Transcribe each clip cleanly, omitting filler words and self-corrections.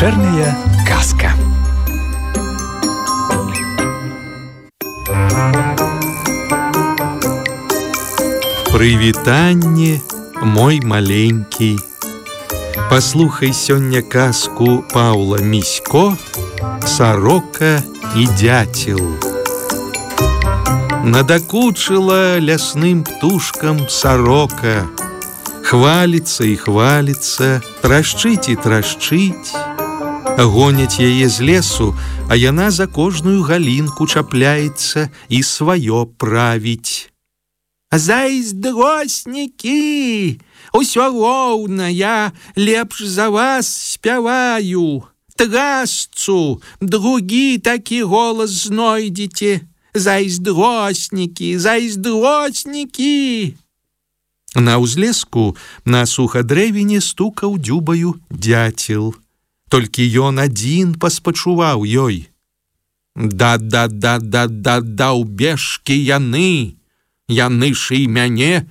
Вечерняя казка. Прывітанне, мой маленькі. Паслухай сёння казку Паўла Місько «Сорока і дятел». Надакучила лясным птушкам сорока. Хвалится и хвалится, трашчыць и трашчыць. Гоняць яе з лесу, а яна за кожную галінку чапляецца і сваё правіць. Зайздроснікі, усё роўна, я лепш за вас спяваю. Трасцу, другі такі голас знойдзеце. Зайздроснікі, зайздроснікі. На ўзлеску на сухадрэвіне стукаў дзюбаю дятел. Толькі ён адзін паспачуваў ёй. Даўбежкі яны. Яны ж і мяне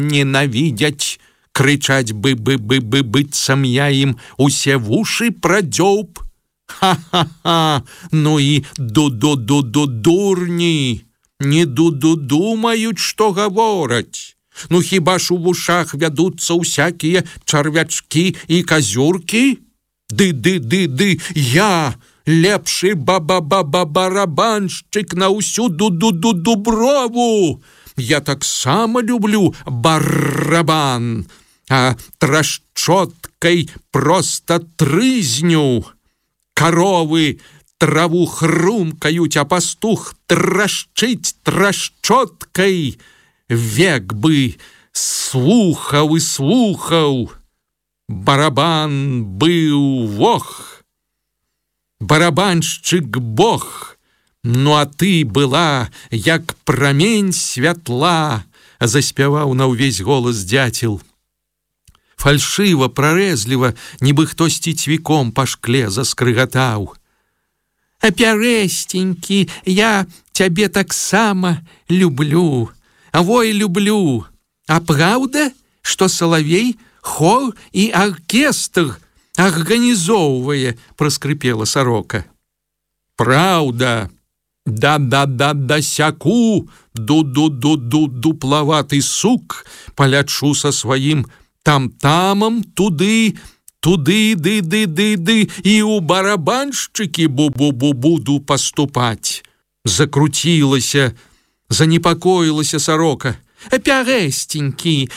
ненавідзяць. Крычаць быццам я ім усе вушы прадзёўб. Ха-ха-ха, ну і дурні. Не думаюць, што гавораць. Ну хіба ж у вушах вядуцца ўсякія чарвячкі і казюркі? Ды, я лепшы барабаншчык на ўсю дуброву. Я таксама люблю барабан, а трашчоткай проста трызню. Каровы траву хрумкаюць, а пастух трашчыць трашчоткай. Век бы слухаў і слухаў. Барабан быў вох, барабаншчык бог. Ну а ты была, як прамень святла, заспяваў на ўвесь голас дятел. Фальшыва, прарэзліва, нібы хтосьці цвіком па шкле заскрыгатаў. Пярэсценькі, я цябе таксама люблю. Ой, люблю. А праўда, што салавей хор і аркестр арганізоўвае, праскрыпела сорока. Праўда. Да-сяку, дуплаваты сук, палячу са сваім там-тамам туды, і ў барабаншчыкі буду паступаць. Закруцілася, занепакоілася сорока. Пярэсценькі,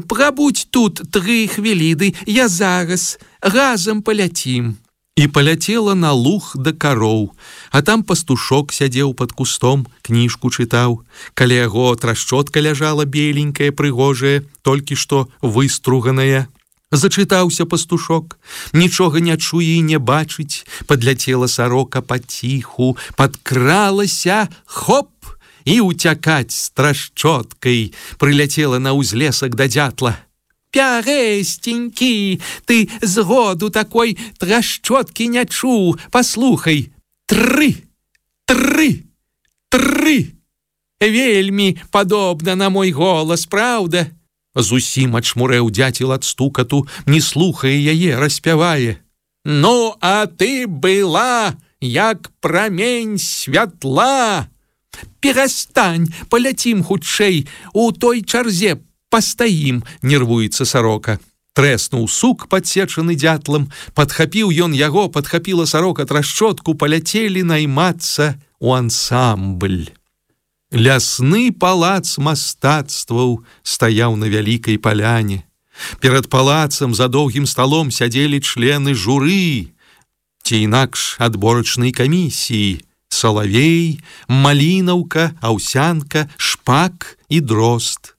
прабудзь тут 3 хвіліны, я зараз, разам паляцім. І паляцела на луг да кароў, а там пастушок сядзеў пад кустом, кніжку чытаў. Каля яго трашчотка ляжала беленькая, прыгожая, толькі што выструганая. Зачытаўся пастушок, нічога не чуе і не бачыць. Падляцела сорока паціху, падкралася, хоп, і уцякаць з трашчоткай. Прыляцела на ўзлесак да дятла. Пярэсценькі, ты згоду такой трашчоткі не чуў. Паслухай, 3. Вельмі падобна на мой голас, праўда? Зусім ачмурэў дятел ад стукату, не слухае яе, распявае. Ну, а ты была, як прамень святла. Перастань, паляцім хутчэй, у той чарзе пастаім, нервуецца сорока. Трэснуў сук, падсечаны дятлам, падхапіў ён яго, падхапіла сорока трашчотку, паляцелі наймацца ў ансамбль. Лясны палац мастацтваў стаяў на вялікай паляне. Перад палацам за доўгім сталом сядзелі члены журы, ці інакш адборачнай камісіі: салавей, малінаўка, аўсянка, шпак і дрозд.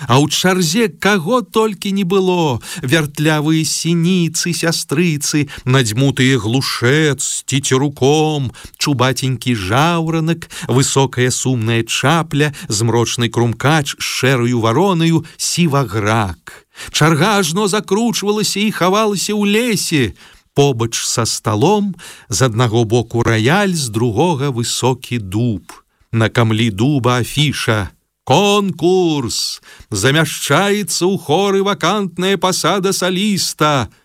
А ў чарзе каго толькі не было: вяртлявыя сініцы, сястрыцы, надзьмутыя глушэц з цецеруком, чубатенькі жаўранак, высокая сумная чапля, змрочны крумкач з шэраю варонаю, сіваграк. Чарга ажно закручвалася і хавалася ў лесе. Побач са сталом з аднаго боку раяль, з другога высокі дуб. На камлі дуба афіша: конкурс! Замяшчаецца ў хоры вакантная пасада саліста.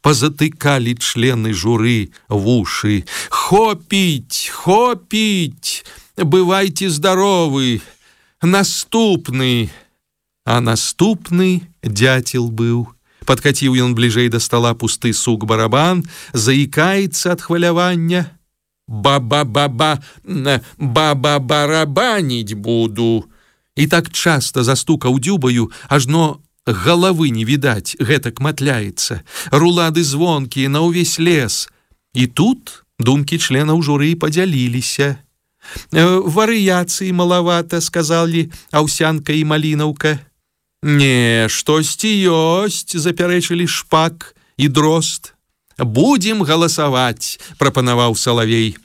позатыкали члены журы вуши. «Хопить! Хопить! Бывайте здоровы! Наступны!» А наступны дятел быў. Падкаціў ён бліжэй да стала пусты сук-барабан, заікаецца ад хвалявання. «Ба-ба-ба-ба, ба-ба-барабаніць буду!» І так часта застукаў дзюбаю, ажно галавы не відаць, гэтак матляецца. Рулады звонкія на ўвесь лес. І тут думкі членаў журы падзяліліся. «Варыяцыі малавата», — сказалі Аўсянка і Малінаўка. «Не, штосьці ёсць», — запярэчылі Шпак і Дрозд. «Будзем галасаваць», — прапанаваў Салавей.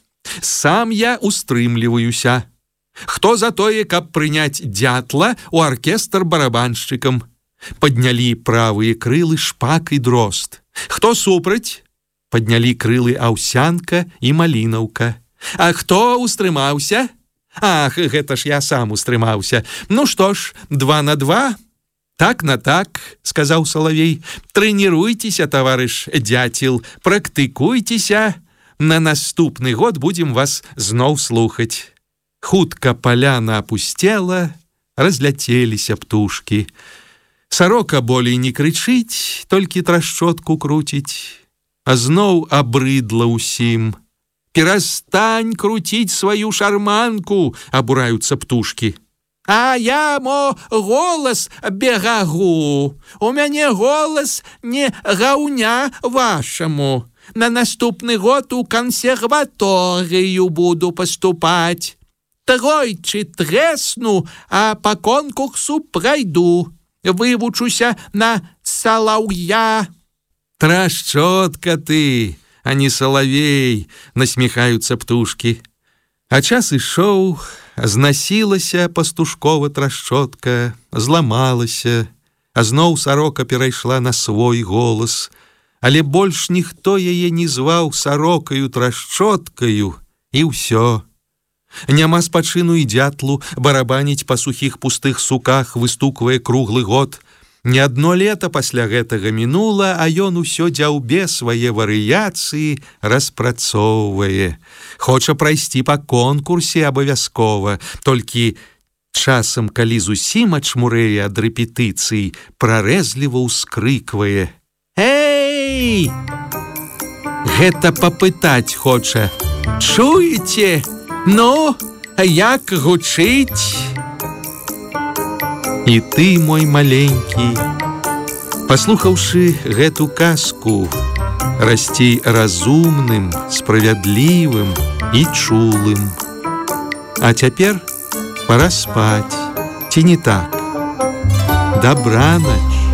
«Сам я устрымліваюся. Хто за тое, каб прыняць дятла ў аркестр барабаншчыкам?» Паднялі правыя крылы Шпак і Дрозд. «Хто супраць?» Паднялі крылы Аўсянка і Малінаўка. «А хто устрымаўся?» «Ах, гэта ж я сам устрымаўся. Ну што ж, 2 на 2?» «Так на так», — сказаў Салавей. «Трэніруйцеся, таварыш дяцел, практыкуйцеся. На наступны год будзем вас зноў слухаць». Хутка паляна апусцела, разляцеліся птушкі. Сарока болей не крычыць, толькі трашчотку круціць. А зноў абрыдла ўсім. «Перастань круціць сваю шарманку», — абураюцца птушкі. «А я, мо, голас бегагу. У мяне голас не гаўня вашаму. На наступны год у кансерваторыю буду паступаць. Тройчы трэсну, а па конкурсу прайду. Вывучуся на салаўя». «Трашчотка ты, а не Салавей», — насміхаюцца птушкі. А час ішоў, знасілася пастушкова трашчотка, зламалася, А зноў сарока перайшла на свой голас, але больш ніхто яе не зваў сарокаю трашчоткаю, і ўсё. Няма спачыну і дятлу барабаніць па сухіх пустых суках, выстуквае круглы год. Не адно лета пасля гэтага мінула, а ён усё дзяўбе свае варыяцыі распрацоўвае. Хоча прайсці па конкурсе абавязкова, толькі часам, калі зусім ачмурэе ад рэпетыцый, прарэзліва ўскрыквае: «Эй! Гэта папытаць хоча. Чуеце? Ну, як гучыць?» І ты, мой маленькі, паслухаўшы гэту казку, расці разумным, справядлівым і чулым. А цяпер пора спаць, ці не так? Дабранач.